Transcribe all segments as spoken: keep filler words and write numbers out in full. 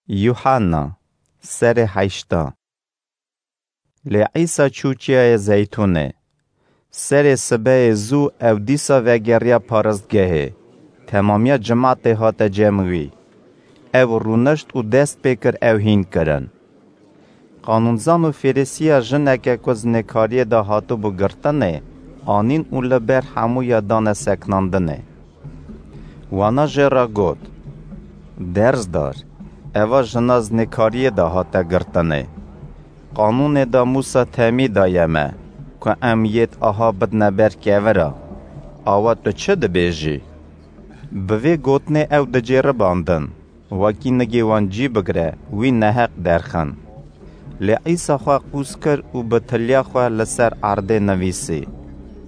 Yuhanna, serê heşta. Lê Îsa çû Çiyayê Zeytûnê. Serê sibehê zû ew dîsa vegeriya paristgehê. Temamiya cimatê hate cem wî. Ew rûnişt û dest pê kir ew hîn kirin. Qanûnzan û Fêrisiya jineke ku zinêkariyê de hatibû girtinê, anîn û li ber hemûya dane seknandinê. Wana jê re got, "Dersdar, eva jina zinêkariyê de hate girtinê. Qanûnê de Mûsa temî daye me, ku em yêd aha bidne ber kevira. Awa tu çi dibêjî?" Bi vê gotinê ew dicêribandin, wekî nigê wan cî bigire, wî neheq derxin. Lê Îsa xwe qûz kir û bi tiliya xwe li ser erdê nivîsî.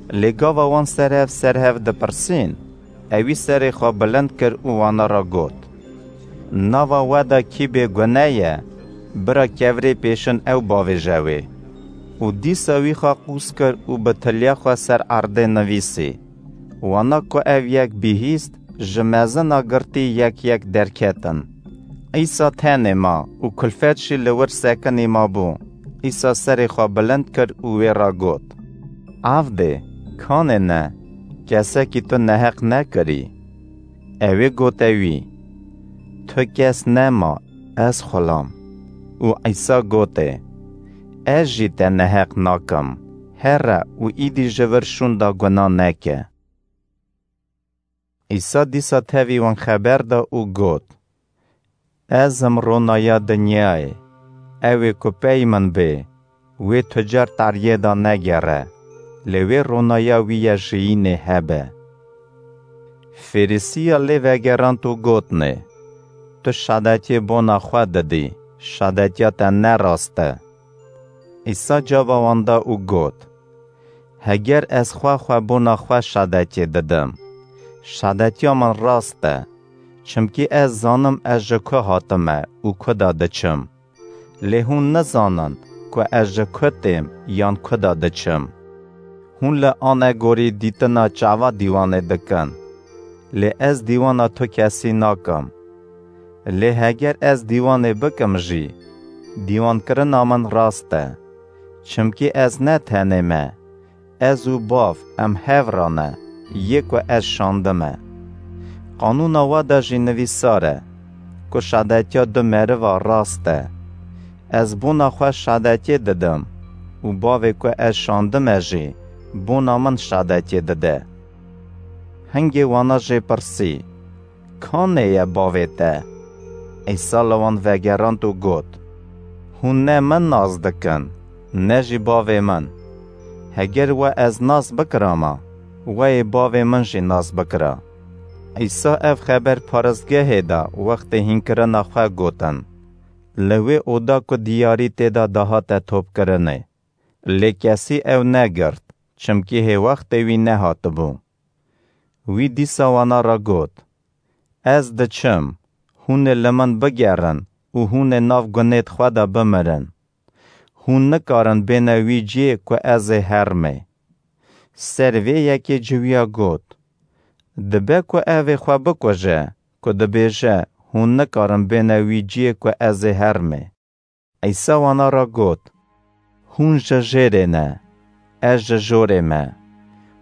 Lê gava wan serhev serhev dipirsîn, ewî serê xwe bilind kir û wana re got, "Nava we de kî bêgune ye, bira kevirê pêşin ew bavêje wê." Û dîsa wî xwe qûz kir û bi tiliya xwe ser erdê nivîsî. Wana ku ev yek bihîst, ji mezina girtî yek yek derketin. Îsa tenê ma û kulfet jî li wir sekinî mabû. Îsa serê xwe bilind kir û wê re got, "Avdê, kanê ne, kesekî tu neheq nekirî." Ewê gote wî, "Tu kes nema, ez xulam." Û Îsa gotê, "Ez jî te neheq nakim, here û îdî ji vir şûnda guna neke." Îsa dîsa tevî wan xeber da û got, "Ez im ronaya dinyayê. Ew ê ku pey min bê, wê tu car tariyê de negere, lê wê ronaya wî ya jiyînê hebe." Fêrisiya lê vegerand û gotnê, "Tu şadetiyê bona xwe didî, şadetiya te ne rast e." Îsa caba wan da û got, "Heger ez xwe xwe bona xwe şadetiyê didim, şadetiya min rast e, çimkî ez zanim ez ji ku hatime û ku de diçim. Lê hûn nizanin ku ez ji ku têm yan ku de diçim. Hûn li anegorî dîtina çava dîwanê dikin, lê ez dîwana tu kesî nakim. Lê heger ez dîwanê bikim jî, dîwankirina min rast e. Çimkî ez ne tenê me, ez û Bav em hev re ne, yê ku ez şandime. Qanûna we de jî nivîsar e, ku şadetiya du meriva rast e. Ez bona xwe şadetiyê didim û Bavê ku ez şandime jî bona min şadetiyê dide." Hingê wana jê pirsî, "Kanê ye bavê te?" Îsa li wan vegerand û got, "Hûn ne min nas dikin, ne jî bavê min. Heger we ez nas bikirama, we yê bavê min jî nas bikira." Îsa ev xeber paristgehê de wextê hînkirina xwe gotin. Li wê oda ku diyarî tê de dihate topkirinê. Lê kesî ew negirt, çimkî hê wextê wî nehatibû. Wî dîsa wana re got, "Ez diçim, hûn ê li min bigerin û hûn ê nav gunêd xwe de bimirin. Hûn nikarin bêne wî ciyê ku ez ê hermê." Ser vê yekê ciwiya got, "Dibe ku ev ê xwe bikuje, ku dibêje, 'Hûn nikarin bêne wî ciyê ku ez ê hermê.'" Îsa wana re got, "Hûn ji jêrê ne, ez ji jorê me.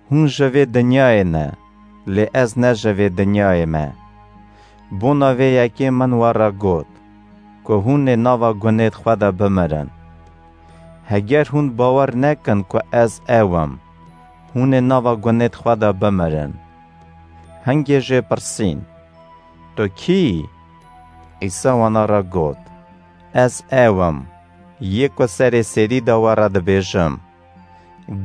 Hûn ji vê dinyayê ne, lê ez ne ji vê dinyayê me. Bona vê yekê min we re got, ku hûn ê nava gunêd xwe de bimirin. Heger hûn bawer nekin ku ez ew im, hûn ê nava gunêd xwe de bimirin." Hingê jê pirsîn, "Tu kî yî?" Îsa wana re got, "Ez ew im, yê ku serê serî de we re dibêjim.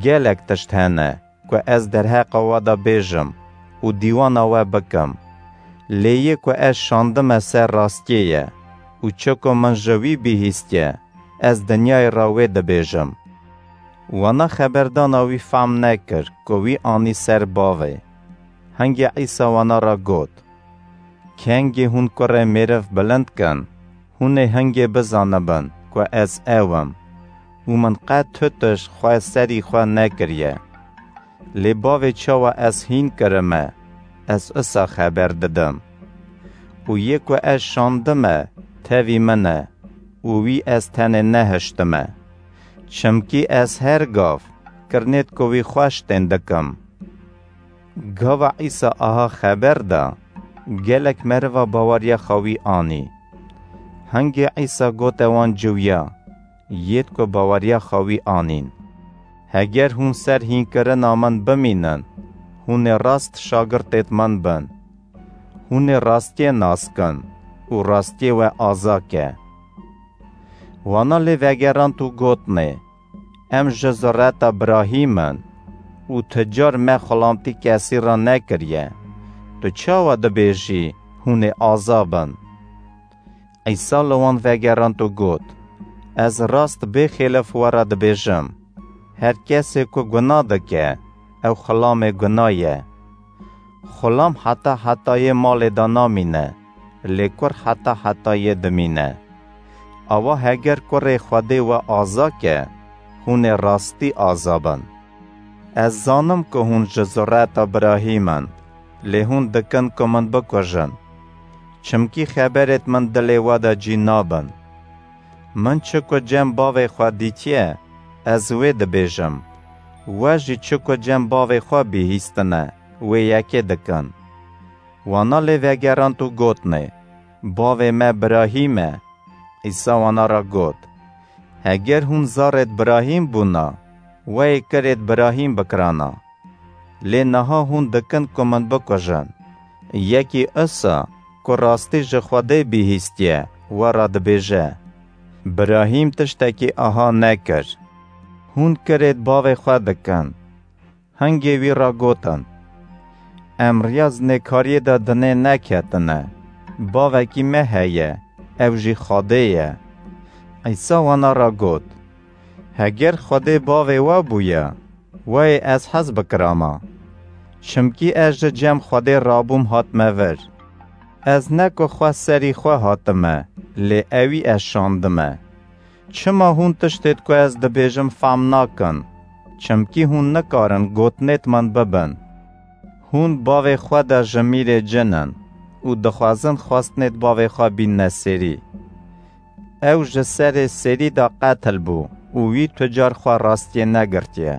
Gelek tişt hene ku ez derheqa we de bêjim û dîwana we bikim. Lê yê ku ez şandime ser rastiyê ye û çi ku min ji wî bihîstiye, ez dinyayê re wê dibêjim." Wana xeberdana wî fehm nekir ku wî anî ser bavê. Hingê Îsa wana re got, "Kengê hûn kurê mêriv bilind kin, hûn ê hingê bizanibin ku ez ew im û min qet tu tişt xwe serî xwe nekiriye. Lê bavê çawa ez hîn kirime, ez usa xeber didim. Û yê ku ez şandime, tevî min e û wî ez tenê nehiştime. Çimkî ez her gav kirinêt ku wî xweş tên dikim. Gava Îsa aha xeber da, gelek meriva baweriya xwe wî anî. Hingê Îsa gote wan ciwiya, yêd ku baweriya xwe wî anîn. Heger hûn ser hînkirina min bimînin, hûn ê rast şagirtêd min bin. Hûn ê rastiyê nas kin û rastiyê we aza ke. Wana lê vegerand û gotnê, Em ji zureta Birahîm in û ti car me xulamtî kesî re nekiriye. Tu çawa dibêjî, hûn ê aza bin? Îsa li wan vegerand û got, Ez rast bêxêlif we re dibêjim, her kesê ku guna dike, ew xulamê guna ye. Xulam heta hetayê malê de namîne, lê kur heta hetayê dimîne. Awa heger kurê Xwedê we aza ke, hûn ê rastî aza bin. Ez zanim ku hûn ji zureta Birahîm in, lê hûn dikin ku min bikujin. Çimkî xeberêd min dilê we de cî nabin. Min çi ku cem bavê xwe dîtiye, ez wê dibêjim. We jî çi ku cem bavê xwe bihîstine, wê yekê dikin. Wana lê vegerand û gotnê, Bavê me Birahîm e. Îsa wana re got, Heger hûn zarêd Birahîm bûna, we yê kirêd Birahîm bikirana. Lê niha hûn dikin ku min bikujin. Yekî Îsa ku rastî ji Xwedê bihîstiye, we re dibêje, Birahîm tiştekî aha nekir. Hûn kirêd bavê xwe dikin. Hingê wî re gotin, Em riya zinêkariyê de dinê neketine. Bavekî me heye, ew jî Xwedê ye. Îsa wana re got, Heger Xwedê bavê we bûya, wayê ez hez bikirama. Çimkî ez ji cem Xwedê rabûm hatime vir. Ez ne ku xwe serî xwe hatime, lê ewî ez şandime. Çima hûn tiştêd ku ez dibêjim fam nakin? Çimkî hûn nikarin gotinêd min bibin. Hûn bavê xwe de ji mîrê cin in û dixwazin xwestinêd bavê xwe bînne sêrî. Ew ji serê sêrî de qetil bû û wî tu car xwe rastiyê negirtiye.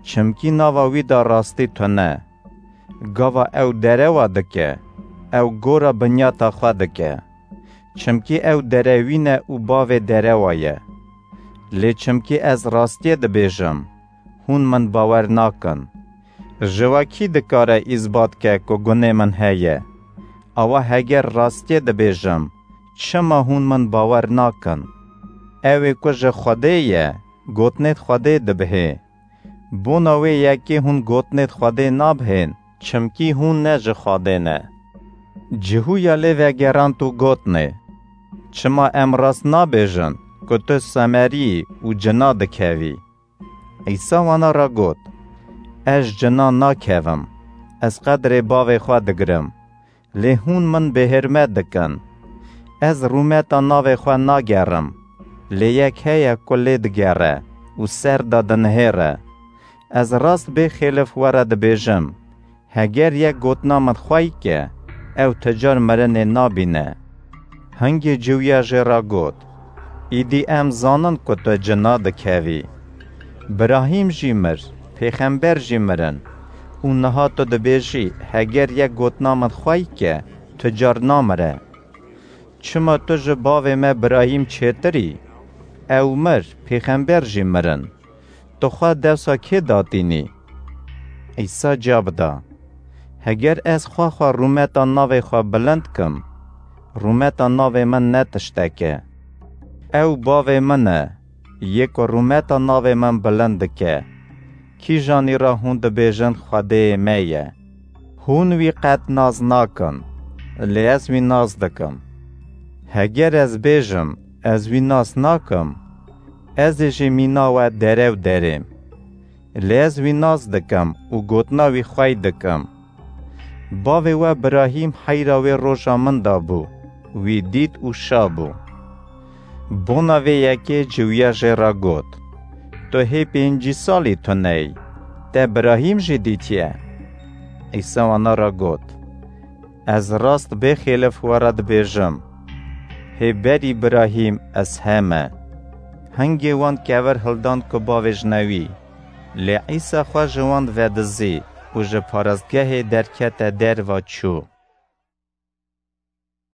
Çimkî nava wî de rastî tune. Gava ew derewa dike, ew gora binyata xwe dike. Çimkî ew derewîn e û bavê derewa ye. Lê çimkî ez rastiyê dibêjim, hûn min bawer nakin. Ji we kî dikare îsbat ke ku gunê min heye? Awa heger rastiyê dibêjim, çima hûn min bawer nakin? Ew ê ku ji Xwedê ye, gotinêd Xwedê dibihê. Bona wê yekê hûn gotinêd Xwedê nabihên, çimkî hûn ne ji Xwedê ne. Cihûya lê vegerand û gotinê, Çima em rast nabêjin ku tu semerî yî û cina dikevî? Îsa wana re got, Ez cina nakevim, ez qedrê bavê xwe digirim. Lê hûn min bêhirmet dikin. Ez rûmeta navê xwe nagerim, lê yek heye ku lê digere û ser de dinihêre. Ez rast bêxêlif we re dibêjim, heger yek gotina min xwey ke, ew ti car mirinê nabîne. Hingê ciwiya jê re got, Îdî em zanin ku tu cina dikevî. Birahîm jî mir, pêxember jî mirin. Û niha tu dibêjî, heger yek gotina min xwey ke, tu car namire. Çima tu ji bavê me Birahîm çêtir î? Ew mir, pêxember jî mirin. Tu xwe dewsa kê datînî? Îsa cewab da, Heger ez xwe xwe rûmeta navê xwe bilind kim, rûmeta navê min ne tiştek e. Ew bavê min e, yê ku rûmeta navê min bilind dike. Kîjanî re hûn dibêjin Xwedêyê me ye. Hûn wî qet nas nakin, lê ez wî nas dikim. Heger ez bêjim, ez wî nas nakim, ez ê jî mîna we derew derêm. Lê ez wî nas dikim û gotina wî xwey dikim. Bavê we Birahîm heyra wê roja min de bû, wî dît û şa bû. Bona vê yekê ciwiya jê re got, Tu hê pêncî salî tuneyî, te Birahîm jî dîtiye? Îsa wana re got, Ez rast bêxêlif we re dibêjim, Hê berî Birahîm, ez he me. Hingê wan kevir hildan ku bavêjne wî. Lê Îsa xwe ji wan vedizî û ji parastgehê derkete derva çû.